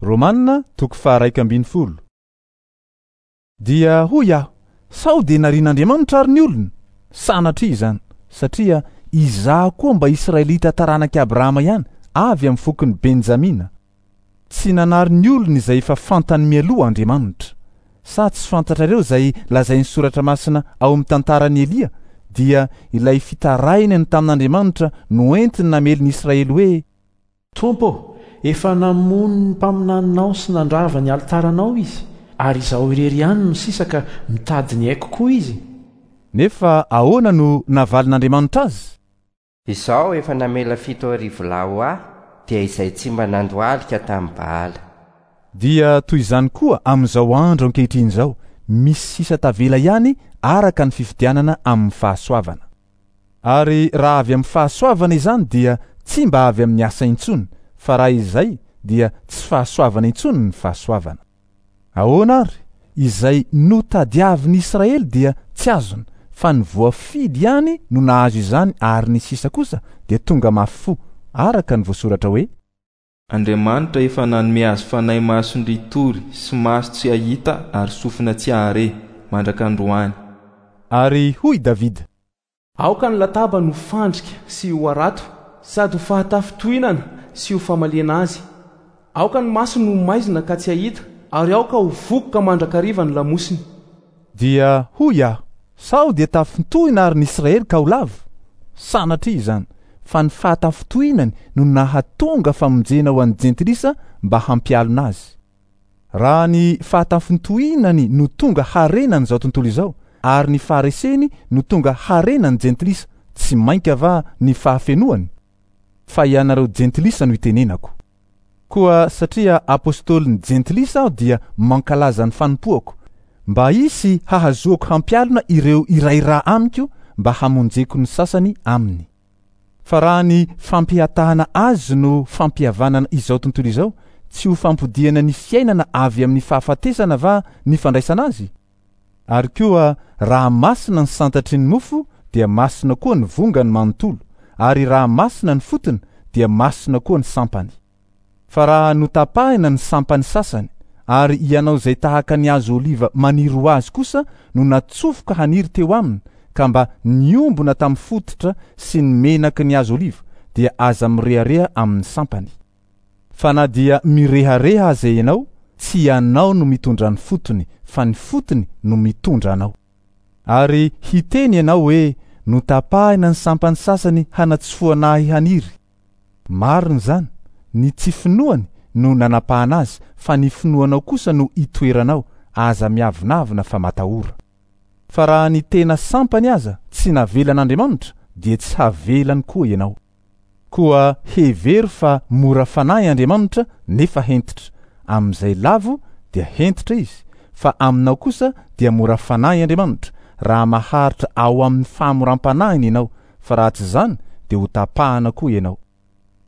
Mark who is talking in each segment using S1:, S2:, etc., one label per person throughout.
S1: Romana toko faha-11. Dia hoy aho, Sao dia narian'Andriamanitra ary ny olony? Sanatria izany, satria izaho koa mba Israelita taranak'i Abrahama ihany, avy amin'ny fokon'i Benjamina. Tsy nanary ny olony izay efa fantany mialoha Andriamanitra. Sa tsy fantatrareo izay lazain'ny Soratra Masina ao amin'ny tantaran'i Elia, dia ilay fitarainany tamin'Andriamanitra noentiny namely ny Israely hoe,
S2: Tompo ô, efa namono ny mpaminaninao sy nandrava ny alitaranao izy, ary izaho irery ihany no sisa ka mitady ny aiko koa izy.
S1: Nefa ahoana no navalin'Andriamanitra azy?
S3: Izaho efa namela 7000 lahy ho ahy, dia izay tsy mba nandohalika tamin'i Baala.
S1: Dia toy izany koa amin'izao andro ankehitriny izao, misy sisa tavela ihany araka ny fifidianana amin'ny fahasoavana. Ary raha avy amin'ny fahasoavana izany dia tsy mba avy amin'ny asa intsony, fa raha izay dia tsy fahasoavana intsony ny fahasoavana. Ahoana ary? Izay notadiavin'i Israely dia tsy azony, fa ny voafidy ihany no nahazo izany ary ny sisa kosa dia tonga mafy fo, araka ny voasoratra hoe.
S4: Andriamanitra efa nanome azy fanahy mason-dritory sy maso tsy hahita ary sofina tsy hahare, mandraka androany.
S1: Ary hoy Davida.
S5: Aoka ny latabany ho fandrika sy ho harato, sady ho fahatafintohinana sy ho famaliana azy. Aoka ny masony ho maizina ka tsy hahita, ary aoka ho vokoka mandrakariva ny lamosiny.
S1: Dia hoy aho, Sao dia tafintohina àry ny Israely ka ho lavo? Sanatria izany, fa ny fahatafintohinany no nahatonga famonjena ho an'ny jentilisa mba hampialona azy. Raha ny fahatafintohinany no tonga harenan'izao tontolo izao, ary ny fahareseny no tonga harenan'ny jentilisa, tsy mainka va ny fahafenoany? Fa ianareo jentilisa no itenenako. Koa satria apostolin'ny jentilisa aho dia mankalaza ny fanompoako, mba hisy hahazoako hampialona ireo iray ra amiko mba hamonjeko ny sasany aminy. Fa raha ny fampihatahana azy no fampihavanana izao tontolo izao, tsy ho fampodiana ny fiainana avy amin'ny fahafatesana va ny fandraisana azy? Ary koa raha masina ny santatry ny mofo dia masina koa ny vongany manontolo, ary raha masina ny fotony dia masina koa ny sampany. Fa raha notapahina ny sampany sasany, ary ianao izay tahaka ny hazo oliva maniry ho azy kosa no natsofoka haniry teo aminy ka mba niombona tamin'ny fototra sy ny menaky ny hazo oliva, dia aza mirehareha amin'ny sampany. Fa na dia mirehareha aza ianao, tsy ianao no mitondra ny fotony, fa ny fotony no mitondra anao. Ary hiteny ianao hoe, Notapahina ny sampany sasany hanatsofohana ahy haniry. Marina izany, ny tsy finoany no nanapahana azy, fa ny finoanao kosa no itoeranao, aza miavonavona fa matahora. Fa raha ny tena sampany aza tsy navelan'Andriamanitra, dia tsy havelany koa ianao. Koa hevero fa mora fanahy Andriamanitra nefa hentitra. Amin'izay lavo dia hentitra Izy, fa aminao kosa dia mora fanahy Andriamanitra, raha maharitra ao amin'ny fahamoram-panahiny ianao, fa raha tsy izany dia ho tapahana koa ianao.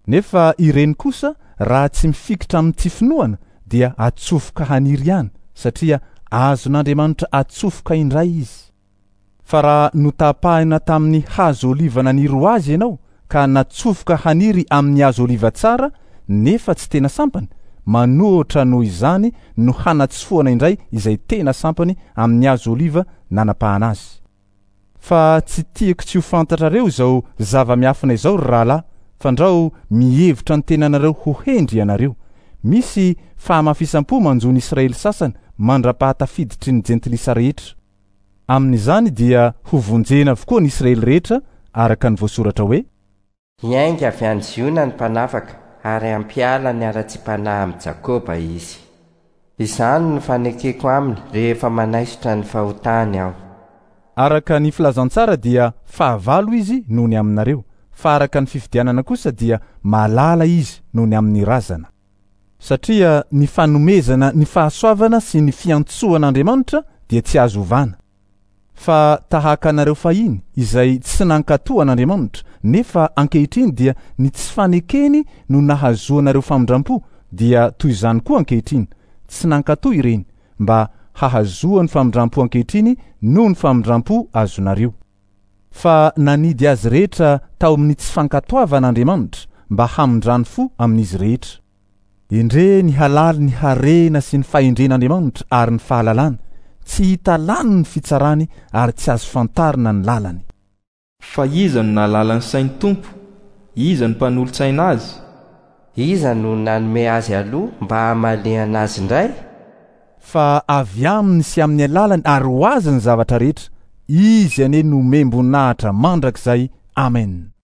S1: Nefa ireny kosa raha tsy mifikitra amin'ny tsy finoana dia atsofoka haniry ihany, satria azon'Andriamanitra atsofoka indray izy. Fa raha notapahina tamin'ny hazo oliva naniry ho azy ianao ka natsofoka haniry amin'ny hazo oliva tsara nefa tsy tena sampany, manoatra noho izany no hanatsofohana indray izay tena sampany amin'ny hazo oliva nanapahana azy. Fa tsy tiako tsy ho fantatrareo izao zava-miafina izao, ry rahalahy, fandrao mihevitra ny tenanareo ho hendry ianareo. Misy fahamafisam-po manjo ny Israely sasany mandra-pahatafiditry ny jentilisa rehetra. Amin'izany dia hovonjena avokoa ny Israely rehetra, araka ny voasoratra hoe.
S3: Hiainga avy any Ziona ny Mpanafaka ary hampiala ny haratsiam-panahy amin'i Jakoba izy. Izany no fanekeko aminy rehefa manaisotra ny fahotany aho.
S1: Araka ny filazantsara dia fahavalo izy noho ny aminareo, fa araka ny fifidianana kosa dia malala izy noho ny amin'ny razana. Satria ny fanomezana ny fahasoavana sy ny fiantsoan'Andriamanitra dia tsy azo ovana. Fa tahaka anareo fahiny izay tsy nankatò an'Andriamanitra, nefa ankehitriny dia ny tsy fanekeny no nahazoanareo famindrampo, dia toy izany koa ankehitriny, tsy nankatò ireny, mba hahazoany famindrampo ankehitriny noho ny famindrampo azonareo. Fa nanidy azy rehetra tao amin'ny tsy fankatoavana Andriamanitra mba hamindrany fo amin'izy rehetra. Endrey ny halalin'ny harena sy ny fahendren'Andriamanitra ary ny fahalalany, tsy hita lany ny fitsarany ary tsy azo fantarina ny lalany.
S4: Fa iza no nahalala ny sain'ny Tompo? Iza no mpanolotsaina azy?
S3: Iza no nanome azy aloha mba hamaliana azy indray?
S1: Fa avy aminy sy amin'ny alalany ary ho azy ny zavatra rehetra, Izy anie no omem-boninahitra mandrakizay. Amen.